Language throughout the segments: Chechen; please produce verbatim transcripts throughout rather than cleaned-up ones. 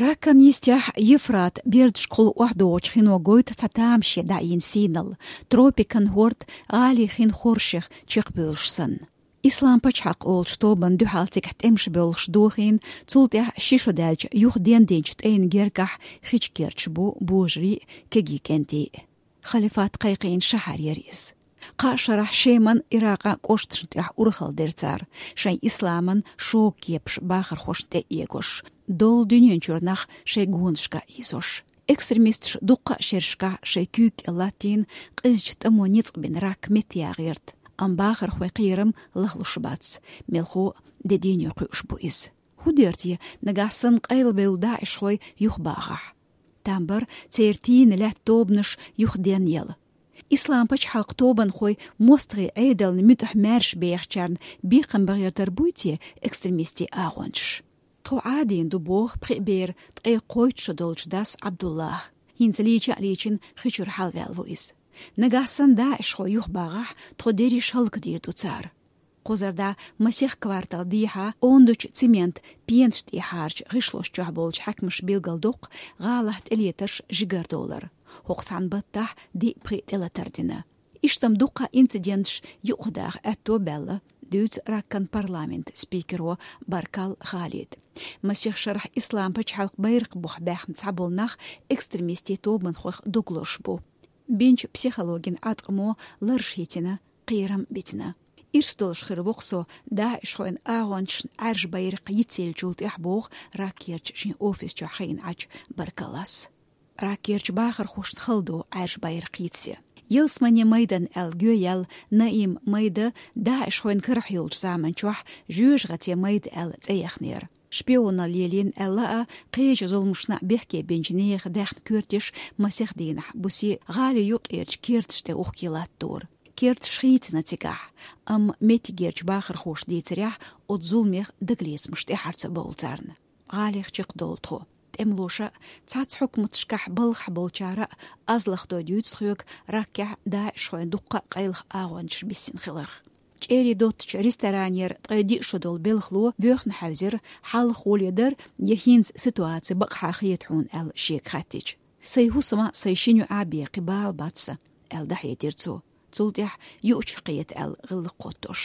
Раккан йистехь Евфрат бердашкахула охьадогӀучу хино гойту цхьа тамаше дӀаийна сийналла, тропикан хӀорд гӀалин хин хоршех чекхбевлла санна. Ислам пачхьалкх олучу тобанна дуьхьал цигахь тӀемаш бевлларш дохийна, цул тӀаьхьа ши шо даьлча юха дендинчу тӀайна гергахь хи чу керчаш бу божарий а, кегий кӀентий а. Халифат кхайкхийна шахьар яра иза. Кхаа шарахь Шеман, Иракъан кӀошташна тӀехь урхалла дира цара, шайн исламан шога кепаш бахархошна тӀе а эгош, долу дуьнен чуьра нах шайн гонашка а ийзош. Экстремисташа дуккха а шерашкахь шайн куьйга кӀел латтийна, къизачу тӀамо ницкъ бина ракка метта яха гӀерта, амма бахархойн кхерам лахлуш бац, мелхо де дийне кхуьуш бу иза. ХӀун дера те, нагахь санна къайлабевлла даӀишхой юхабахахь? Там бара церан тийна лаьтта тобанаш юхаденъяла. Ислам пачхьалкх тобанхой мостагӀийн Ӏедална муьтӀахь маьрша бехачарна бекхам бан гӀертар буй те экстремистийн агӀончаш? Тхо Ӏадийна ду, боху пхи бер ткъе кхойтта шо долчу дас Ӏабдуллахь. ХӀинца лийча а лийчина хи чуьра хьалаваьлла ву иза. Нагахь санна даӀишхой юхабахахь, тхо дерриш хӀаллакдийр ду цара. Кхузара дӀа масех квартал дехьа ондачу цемент пенаш тӀехьарчу гӀишлош чохь болчу хьаькамаша билгалдоккху гӀалахь тӀелетарш жигардовлар. ХӀокху цхьана баттахь диъ-пхиъ тӀелатар дина. Иштта-м дуккха а инциденташ юкъадаха аьтто баьлла, дуьйцу Раккан парламентан спикеро Баркал Халид. Масех шарахь Ислам пачхьалкх байракх бухахь баьхна цхьаболу нах экстремистийн тобанхойх дог лозуш бу. Бинчу психологин Ӏаткъамо лараш хӀиттина, кхерам битина. Ирс долуш хир ву-кх со даӀишхойн агӀончашна Ӏаьржа байракх йицъеллачул тӀаьхьа, боху Раккерчу шен офис чохь хиъна Ӏачу Баркалас. Раккерчу бахархошна хала ду Ӏаьржа байракх йицъян. Ялсаманин майдан аьлла гӀо яьлла Наим майда даӀишхойн карахь йолчу заман чохь жоьжахатин майда аьлла цӀе яхнера. Шпионалла лелийна аьлла а, кхечу зуламашна а бехке бинчу нехан даьхна коьрташ масех дийнахь бусе гӀали юккъерчу керташ тӀе ухке латтора. Керташ хийцина цигахь, амма меттигерчу бахархоша дийцарехь, оцу зуламех дагалецамаш тӀаьхьара ца бовлу царна. ГӀалех чекхдовлу тхо. ТӀемалоша а, цхьацца хьукматашкахь балхахь болчара а аз лахдой дуьйцу тхоьга Раккехь даӀишхойн дуккха а къайлаха агӀончаш биссина хиларх. ЧӀерий доттачу ресторанера ткъе диъ шо долу белхало воьхна хьаьвзира, хьалха гӀоле дара я хӀинца ситуаци бакъахьа хета хьуна аьлла шега хаьттича. Сайн хӀусам а, сайн шина йоӀ а бен кхин бала бац сан, аьлла дӀахьедира цо. Цул тӀаьхьа юучух кхета аьлла гӀиллакх кхуьттуш.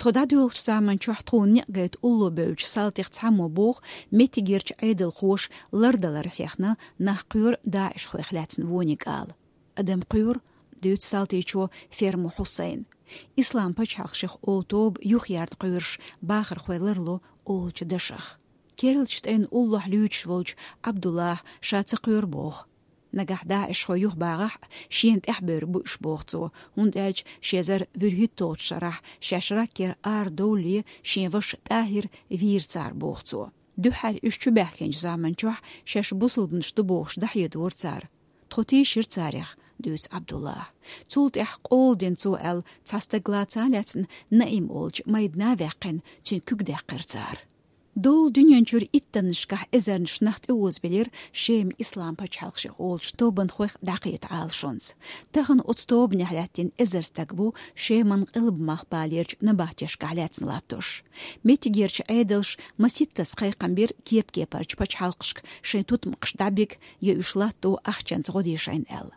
Тхо дӀадоьлхучу заман чохь тхуна некъ гайта улло бевллачу салтех цхьаммо боху, меттигерчу Ӏедалхоша лардалар хьехна, нах кхоьру даӀишхойх лаьцна вониг ала. Адам кхоьру, дуьйцу салтичо Фермо Хьусайн. Ислам пачхьалкх шех олу тоба юхаярна кхоьруш бахархой ларло олучу дашах. Керлачу тӀайн уллохь луьйчуш волчу Ӏабдуллахьа ша ца кхоьру боху. Нагахь даӀишхой юхабагӀахь а, шена тӀаьхьабевр бу уьш боху цо, хӀунда аьлча ши эзар вуьрхӀитталгӀачу шарахь шаьш Раккера арадовлале шен ваша ТӀахӀир вийра цара боху цо. Дуьххьара уьш чубаьхкинчу заман чохь шаьш бусалбанаш ду бохуш дӀахьедора цара. Тхо тийшира царех, дуьйцу Ӏабдуллахьа. Цул тӀаьхьа къола дина цо аьлла, цхьа стаг лаца а лаьцна, Наим олучу майдана а ваьккхина, цуьнан куьг даьккхира цара. Долу дуьнен чуьра иттаннашкахь эзарнаш нах тӀеозабелира Шема Ислам пачхьалкх шех олучу тобанхойх дӀакхета Ӏалашонца. Тахана оцу тобанехь лаьттина эзар стаг ву Шеман къилба-малхбалерчу набахтешкахь лаьцна латтош. Меттигерчу Ӏедалша маситтаза кхайкхам бира кеп-кепарчу пачхьалкхашка шайн тутмакхаш дӀабига я уьш латто ахчанца гӀо дешайна аьлла.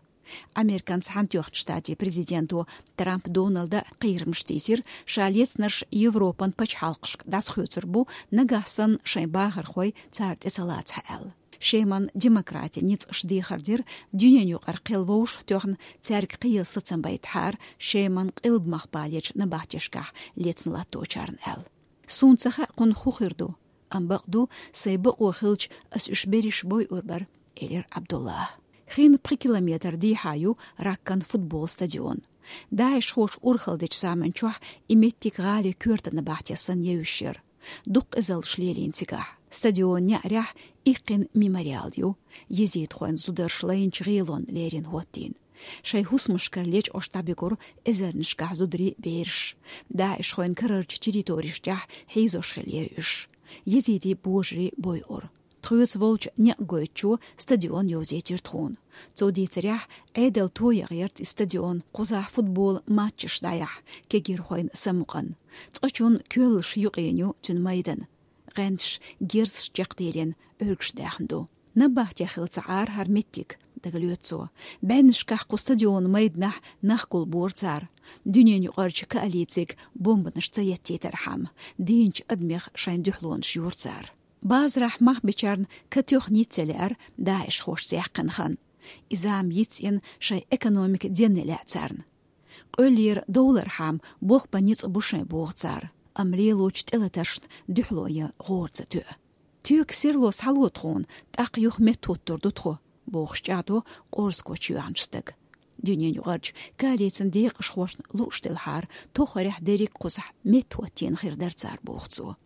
Американ Цхьаьнатоьхначу Штатийн президенто Трамп Доналда кхерамаш тийсира, ша лецнарш Европан пачхьалкхашка дӀасахоьцур бу, нагахь санна шайн бахархой цара тӀе ца лацахь аьлла. Шеман демократин ницкъаш дехар дира, дуьненаюкъара кхел вовшахтоьхна, цаьрга кхел сацам байтахьара Шеман къилба-малхбалерчу набахтешкахь лецна латточарна аьлла. Суна ца хаьа, кхунах хӀун хир ду, амма бакъ ду, сайн бакъо хилча, ас уьш берриш бойур бара, элира Ӏабдуллахьа. Хин пхи километр дехьа ю Раккан футбол стадион. ДаӀишхоша урхалла дечу заман чохь и меттиг гӀали коьртан набахте санна евзаш яра. Дуккха эзаллаш лелийна цигахь. Стадионан неӀарехь иккхина мемориал ю, езидхойн зударша лайначу гӀелонна лерина хӀоттийна. Шайн хӀусамашкара лечкъош дӀабигура эзарнашкахь зударий, бераш. ДаӀишхойн карарчу территореш тӀехь хьийзош хиллера уьш. Езидийн божарий бойура. Тхоьца волчу некъ гойтучо стадион йовзийтира тхуна. Цо дийцарехь, Ӏедал тоя гӀерта и стадион, кхузахь футбол матчаш дӀаяхьа, кегирхойн самукъана. Цкъачунна коьллаш юкъийна ю цуьнан майдан. ГӀенташ, герзаш чекхдийлина, Ӏуьргаш даьхна ду. Набахте хилла ца Ӏарахьара меттиг, дагалоьцу цо. БӀеннашкахь кху стадион майданахь нах гулбора цара. Дуьненаюкъарчу коалициг бомбанаш ца еттийтархьама, дийначу адамех шайн дуьхьалонаш йора цара. Базарахь мах бичарна катоьхна йицъян лаьара ДАИШхошца яьккхина хан. И зама йицъина шайн экономика денна лаьа царна. Къоьллера довлархьама болх бан ницкъ бу шайн боху цара, амма лелочу тӀелатаршна дуьхьало ян гӀора ца тоьа. Туьйка серло схьало тхуна, тӀаккха юха меттахӀуттур ду тхо, бохуш чӀагӀдо Къорзко чоьхьначу стага. Дуьненаюкъарчу коалицин декъашхошна лууш делахьара, тохарехь дерриг кхузахь меттахӀоттийна хир дара цара, боху цо.